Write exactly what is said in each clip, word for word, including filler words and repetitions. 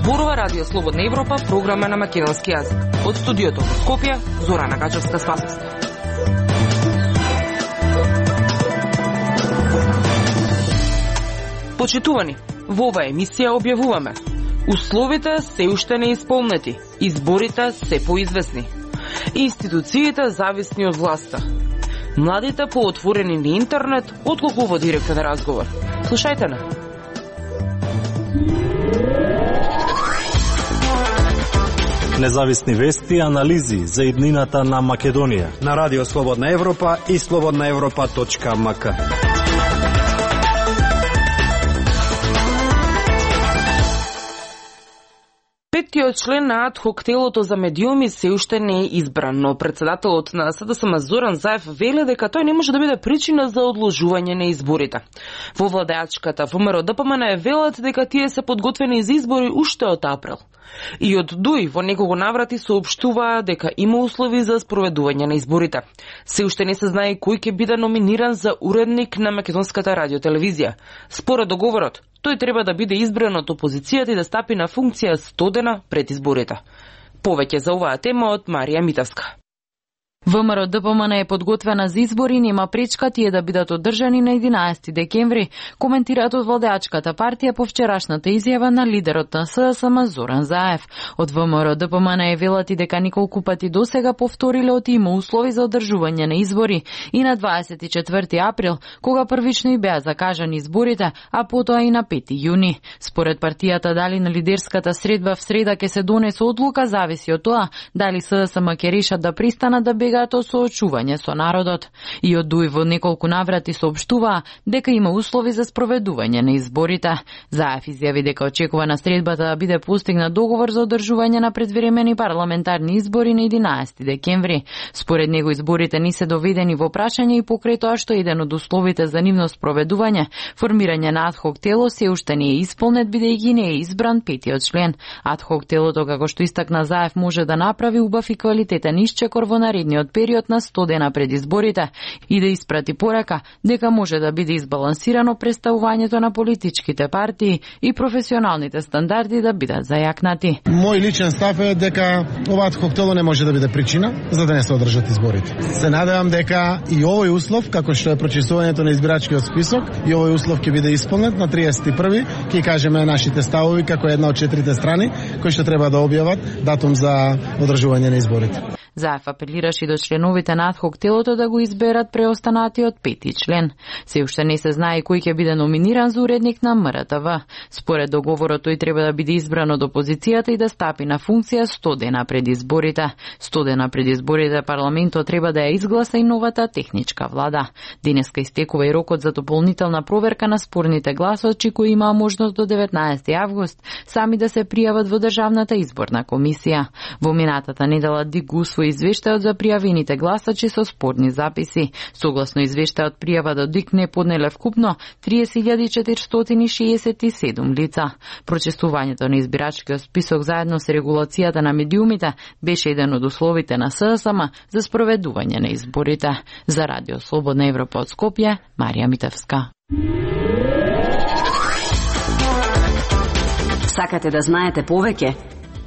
Зборува Радио Слободна Европа, програма на македонски јазик. Од студиото во Скопје, Зорана Качевска-Спасовска. Почитувани, во оваа емисија објавуваме: условите се уште не исполнети, изборите се поизвестни, институциите зависни од власта, младите поотворени на интернет отколку во директен разговор. Слушајте на. Независни вести и анализи за иднината на Македонија на Радио Слободна Европа и слободна европа точка ем ка. Петтиот член на ад-хок телото за медиуми се уште не е избран, но председателот на С Д С М Зоран Заев вели дека тој не може да биде причина за одложување на изборите. Во владеачката В М Р Д П М Н велат дека тие се подготвени за избори уште од април. И од Д У И во неколку наврати соопштуваа дека има услови за спроведување на изборите. Се уште не се знае кој ќе биде номиниран за уредник на македонската радиотелевизија. Според договорот, тој треба да биде избран од опозицијата и да стапи на функција сто дена пред изборите. Повеќе за оваа тема од Марија Митевска. В М Р Д П М Н е подготвена за избори, нема пречка тие да бидат одржани на единаесети декември, коментираат од владеачката партија по вчерашната изјава на лидерот на С Д С М Зоран Заев. Од В М Р Д П М Н е велат и дека неколку пати досега повториле од има услови за одржување на избори и на дваесет и четврти април, кога првично и беа закажани изборите, а потоа и на пети јуни. Според партијата, дали на лидерската средба в среда ќе се донесе одлука зависи од тоа дали С Д С М ќе решат да пристанат да бегаат од соочување со народот. И од Д У И во неколку наврати соопштуваа дека има услови за спроведување на изборите. Заев изјави дека очекува на средбата да биде постигнат договор за одржување на предвремени парламентарни избори на единаесети декември. Според него изборите не се доведени во прашање и покрај тоа што еден од условите за нивно спроведување, формирање на ад-хок тело, се уште не е исполнет бидејќи не е избран петиот член. Ад-хок телото, како што истакна Заев, може да направи убав и квалитетен исчекор во наредниот период на сто дена пред изборите и да испрати порака дека може да биде избалансирано представувањето на политичките партии и професионалните стандарди да бидат зајакнати. Мој личен став е дека ова ад-хок тело не може да биде причина за да не се одржат изборите. Се надевам дека и овој услов, како што е прочистувањето на избирачкиот список, и овој услов ќе биде исполнет на триесет и први, ќе кажеме нашите ставови како една од четирите страни кои што треба да објават датум за одржување на изборите. Заев апелираше до членовите на ад-хок телото да го изберат преостанатиот пети член. Се уште не се знае кој ќе биде номиниран за уредник на М Р Т В. Според договорот, тој треба да биде избран од опозицијата и да стапи на функција сто дена пред изборите. сто дена пред изборите парламентот треба да ја изгласа и новата техничка влада. Денеска истекува и рокот за дополнителна проверка на спорните гласачи кои имаа можност до деветнаесети август сами да се пријават во Државната изборна комисија. Во минатата недела Д И Г усвои извештајот за пријавените гласачи со спорни записи. Согласно извештајот, пријава до Д И К не поднеле вкупно триесет илјади четиристотини шеесет и седум лица. Прочестувањето на избирачкиот список заедно со регулацијата на медиумите беше еден од условите на С Д С М за спроведување на изборите. За Радио Слободна Европа од Скопје, Марија Митевска. Сакате да знаете повеќе?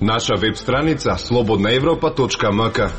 Наша веб страница слободна европа точка ем ка.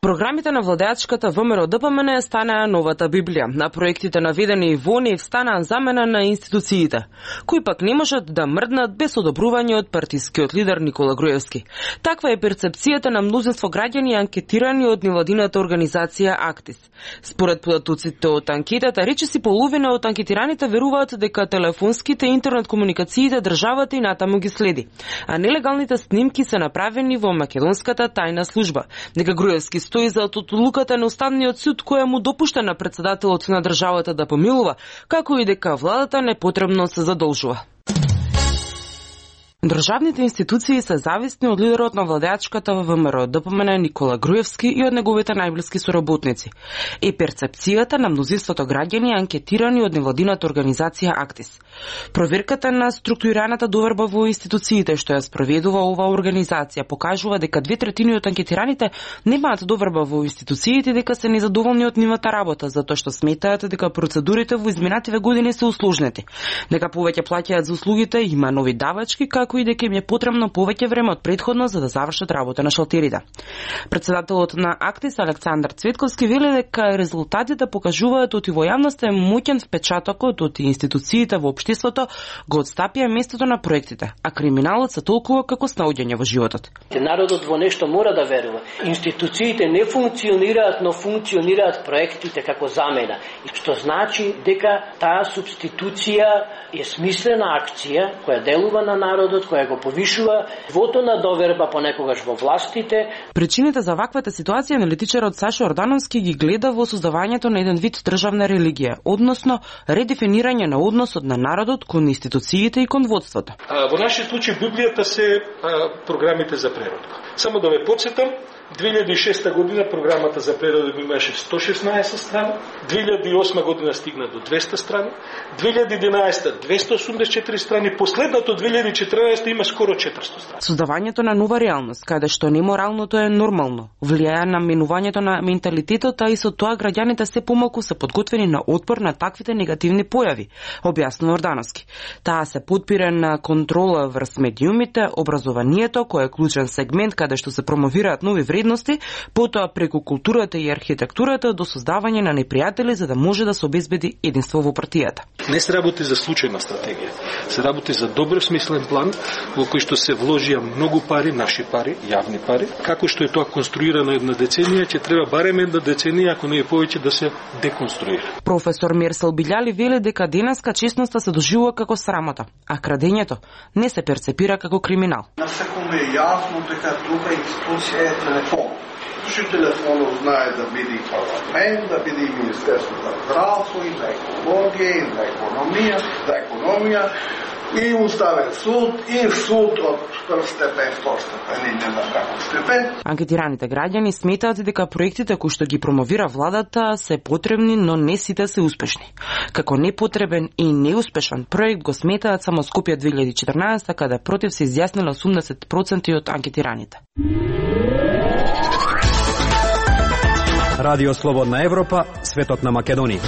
Програмите на владеачката В М Р Д П М Н станаа новата Библија. На проектите наведени во нив станаа замена на институциите, кои пак не можат да мрднат без одобрување од партискиот лидер Никола Груевски. Таква е перцепцијата на мнозинство граѓани анкетирани од невладината организација Актис. Според податоците од анкетата, речиси половина од анкетираните веруваат дека телефонските и интернет комуникациите државата и натаму ги следи, а нелегалните снимки се направени во македонската тајна служба. Дека Груевски стои за одлуката на Уставниот суд која му допушта на председателот на државата да помилува, како и дека владата непотребно се задолжува. Државните институции се зависни од лидерот на владеачката ВМРО Д П М Н Никола Груевски и од неговите најблиски соработници. И перцепцијата на мнозинството граѓани анкетирани од невладината организација Актис. Проверката на структурираната доверба во институциите што ја спроведува оваа организација покажува дека две третини од анкетираните немаат доверба во институциите, дека се незадоволни од нивната работа, затоа што сметаат дека процедурите во изминативе години се усложнети, дека повеќе плаќаат за услугите, има нови давачки, како и дека им е потребно повеќе време од претходно за да завршат работа на шалтерите. Председателот на Актис Александар Цветковски вели дека резултатите покажуваат оти во јавноста е моќен впечатокот од институциите во општеството го отстапија местото на проектите, а криминалот се толкува како снаоѓање во животот. Народот во нешто мора да верува. Институциите не функционираат, но функционираат проектите како замена, што значи дека таа субституција е смислена акција која делува на народот, која го повишува нивото на доверба понекогаш во властите. Причините за ваквата ситуација аналитичарот Сашо Ордановски ги гледа во создавањето на еден вид државна религија, односно редефинирање на односот на народот кон институциите и кон водството. А, во нашиот случај Библијата се а, програмите за превод. Само да ве потсетам, две илјади и шеста година програмата за превод имаше сто шеснаесет страни, две илјади и осма година стигна до двеста страни, две илјади и единаесета двесте осумдесет и четири страни, последното две илјади и четрнаесета има скоро четиристо страни. Создавањето на нова реалност, каде што неморалното е нормално, влијае на менувањето на менталитетот, а и со тоа граѓаните се помалку се подготвени на отпор на таквите негативни појави, објаснува Ордановски. Таа се подпира на контрола врз медиумите, образованието, кој е клучен сегмент каде што се промовираат нови вредности, потоа преку културата и архитектурата до создавање на непријатели за да може да се обезбеди единство во партијата. Не се работи за случајна стратегија, се работи за добро смислен план во кој што се вложија многу пари, наши пари, јавни пари. Како што е тоа конструирано една деценија, ќе треба барем една деценија, ако не е повеќе, да се деконструира. Професор Мерсел Билјали вели дека денеска честноста се доживува како срамота, а крадењето не се перцепира како криминал. На секој е јасно дека друга институција е телефон. Што телефонот знае да биде и парламент, да биде и Министерство за здравство, и за екологија, и за економија, за економија, и Уставен суд, и суд од прв степен, втор степен, и не знам како степен. Анкетираните граѓани сметаат дека проектите кои што ги промовира владата се потребни, но не сите се успешни. Како непотребен и неуспешен проект го сметаат само Скопје две илјади и четрнаесета, каде против се изјаснило осумдесет проценти од анкетираните. Радио Слободна Европа, светот на Македонија.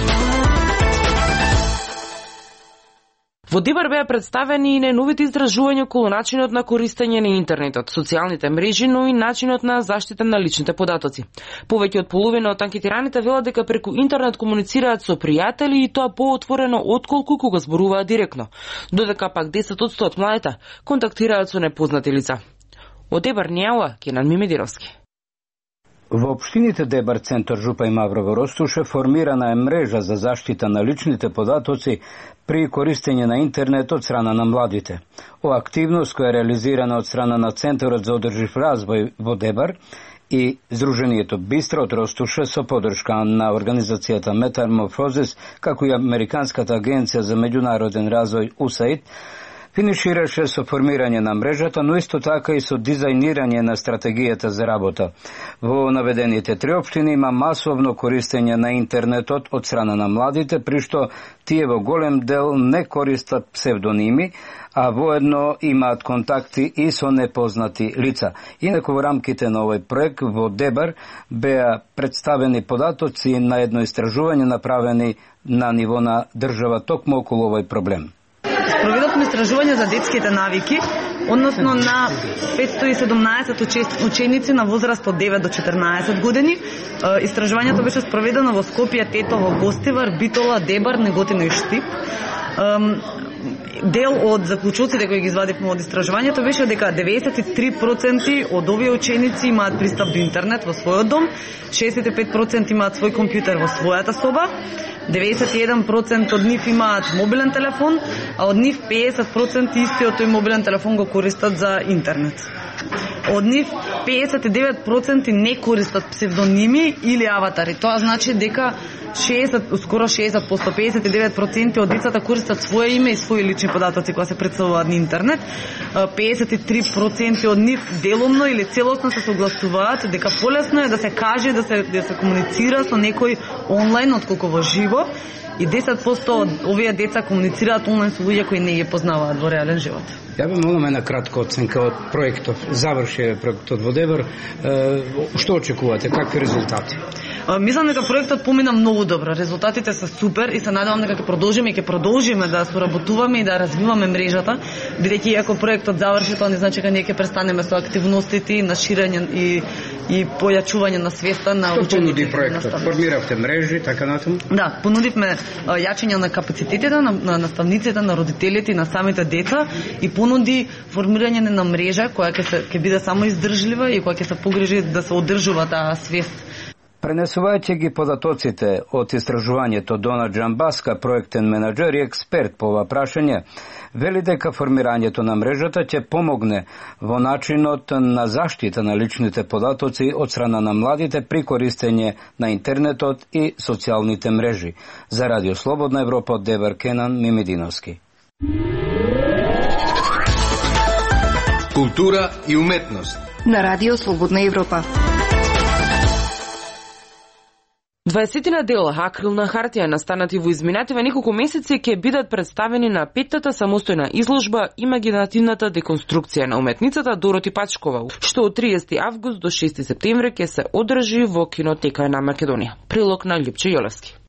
Во Дебар беа представени и најновите изражувања околу начинот на користење на интернетот, социјалните мрежи, но и начинот на заштита на личните податоци. Повеќе од половина од анкетираните велат дека преку интернет комуницираат со пријатели и тоа поотворено отколку кога зборуваат директно, додека пак десет одсто од младите контактираат со непознати лица. Од Дебар Њауа, Кенан Мимедировски. Во општините Дебар, Центар, Жупа и Маврово Ростуше формирана е мрежа за заштита на личните податоци при користење на интернет од страна на младите. Ова активност која е реализирана од страна на Центарот за одржив развој во Дебар и Здруженијето Бистро од Ростуше со подршка на организацијата Метаморфозис, како и Американската агенција за меѓународен развој У С А И Д, финишираше со формирање на мрежата, но исто така и со дизајнирање на стратегијата за работа. Во наведените три општини има масовно користење на интернетот од страна на младите, при што тие во голем дел не користат псевдоними, а воедно имаат контакти и со непознати лица. Инаку во рамките на овој проект во Дебар беа представени податоци на едно истражување направени на ниво на држава токму околу овој проблем. Проведовме истражување за детските навики, односно на петстотини и седумнаесет ученици на возраст од девет до четрнаесет години. Истражувањето беше спроведено во Скопје, Тетово, Гостивар, Битола, Дебар, Неготино и Штип. Дел од заклучоците кои ги извадивме од истражувањето беше дека деветдесет и три проценти од овие ученици имаат пристап до интернет во својот дом, шеесет и пет проценти имаат свој компјутер во својата соба, деветдесет и еден проценти од нив имаат мобилен телефон, а од нив педесет проценти истиот тој мобилен телефон го користат за интернет. Од нив педесет и девет проценти не користат псевдоними или аватари. Тоа значи дека шеесет, скоро шеесет проценти, педесет и девет проценти од децата користат свое име и своји лични податоци кога се претставуваат на интернет. педесет и три проценти од нив деломно или целосно се согласуваат дека полесно е да се каже, да се да се комуницира со некој онлайн отколку во живо. И десет проценти од овие деца комуницираат онлайн со луѓе кои не ги познаваат во реален живот. Ја би молам една кратка оценка од проектот. Заврши проектот во Дебар. Што очекувате? Какви резултати? Мислам дека проектот помина многу добро. Резултатите се супер и се надевам дека ќе продолжиме и ќе продолжиме да соработуваме и да развиваме мрежата, бидејќи ако проектот заврши, тоа не значи дека ние ќе престанеме со активностите на ширење и и појачување на свеста на учениците. Што понуди проектот? Формиравте мрежи, така натаму? Да, понудивме јачење на капацитетите на, на наставниците, на родителите и на самите деца и понуди формирање на мрежа која ќе се ќе биде само издржлива и која ќе се погрижи да се одржува таа свест. Пренесувајќи ги податоците од истражувањето, Дона Джамбаска, проектен менаџер и експерт по ова прашање, вели дека формирањето на мрежата ќе помогне во начинот на заштита на личните податоци од страна на младите при користење на интернетот и социјалните мрежи. За Радио Слободна Европа од Дебар, Кенан Мимединовски. Култура и уметност на Радио Слободна Европа. дваесет дела акрилна хартија настанати во изминативе неколку месеци ќе бидат представени на петтата самостојна изложба Имагинативната деконструкција на уметницата Дороти Пачкова, што од триесети август до шести септември ќе се одржи во Кинотека на Македонија. Прилог на Љупче Јолевски.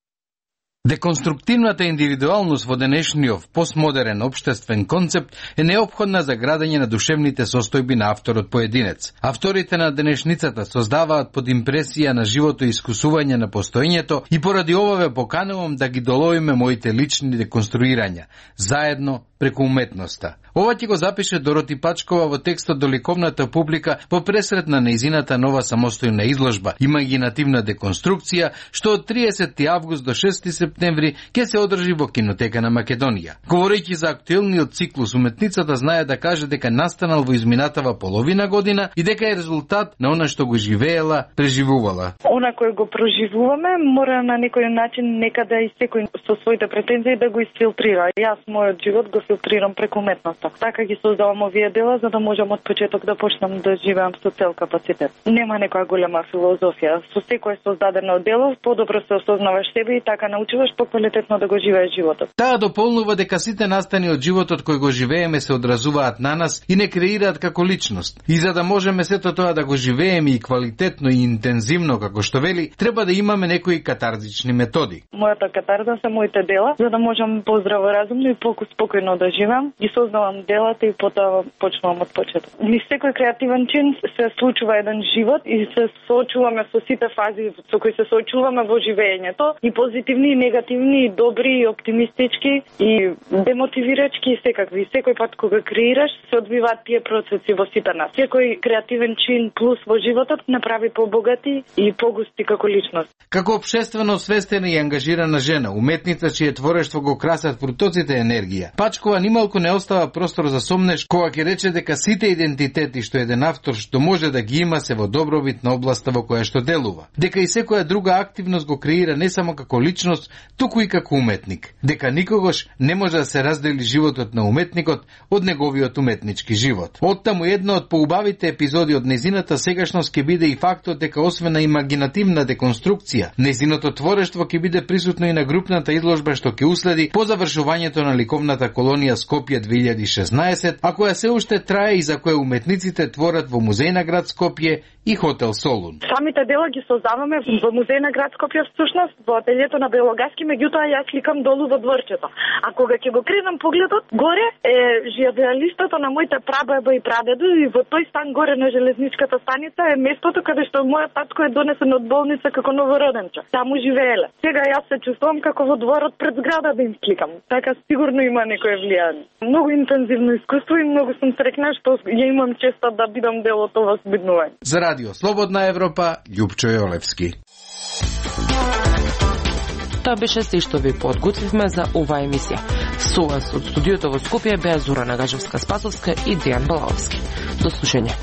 Деконструктивната индивидуалност во денешниот постмодерен општествен концепт е неопходна за градење на душевните состојби на авторот поединец. Авторите на денешницата создаваат под импресија на живото и искусување на постоењето и поради ова ве поканувам да ги доловиме моите лични деконструирања, заедно преку уметноста. Ова ќе го запише Дороти Пачкова во текстот до ликовната публика во пресрет на нејзината нова самостојна изложба Имагинативна деконструкција, што од триесети август до шести септември ќе се одржи во Кинотека на Македонија. Говорејќи за актуелниот циклус, уметницата знае да каже дека настанал во изминатава половина година и дека е резултат на она што го живеела, преживувала. Она кој го проживуваме мора на некој начин некаде и секој со своите претензии да го изфилтрира. Јас мојот живот го филтрирам преку уметноста. Така ги создавам овие дела за да можам од почеток да почнам да живеам со цел капацитет. Нема некоја голема филозофија. Со секое создадено дело подобро се осознаваш себе и така научуваш поквалитетно да го живееш животот. Таа дополнува дека сите настани од животот кој го живееме се одразуваат на нас и не креираат како личност. И за да можеме сето тоа да го живееме и квалитетно и интензивно како што вели, треба да имаме некои катарзични методи. Мојата катарза се моите дела, за да можам поздраворазумно и спокојно да живеам. Ги создавам делата и потоа почнувам од почеток. Ни секој креативен чин се случува еден живот и се соочуваме со сите фази со кои се соочуваме во живеењето, и позитивни, и негативни, и добри, и оптимистички, и демотивирачки, и секакви. Секој пат кога креираш, се одвиваат тие процеси во сите нас. Секој креативен чин плюс во животот направи побогати и погусти како личност. Како општествено свестена и ангажирана жена, уметница чие творештво го красат фрутоците енергија, Пачкова нималку не остава простор за сомнеш кога ќе рече дека сите идентитети што еден автор што може да ги има се во добробит на областа во која што делува. Дека и секоја друга активност го креира не само како личност, туку и како уметник. Дека никогаш не може да се раздели животот на уметникот од неговиот уметнички живот. Оттаму една од поубавите епизоди од незината сегашност ќе биде и фактот дека освен на имагинативна деконструкција, незиното творештво ќе биде присутно и на групната изложба што ќе уследи по завршувањето на ликовната колонија Скопје две илјади и шеснаесет, а која се уште трае и за која уметниците творат во Музеј на град Скопје и Хотел Солун. Самите дела ги создаваме во Музеј на град Скопје, всушност во ателието на Белогаски, меѓутоа јас сликам долу во дворчето. А кога ќе го кренам погледот, горе е живеалиштето на моите прабаба и прадеду, и во тој стан горе на железничката станица е местото каде што мојот татко е донесен од болница како новороденче. Таму живееле. Сега јас се чувствувам како во дворот пред зграда да им сликам. Така сигурно има некое влијание. Многу интензивно искуство и многу сум среќна што ја имам честа да бидам дел од ова збиднување. За Радио Слободна Европа, Љупчо Јолевски. Тоа беше се што ви подготвивме за оваа емисија. Со вас од студиото во Скопје беа Зора Нагажевска-Спасовска и Дејан Балаовски. До слушање.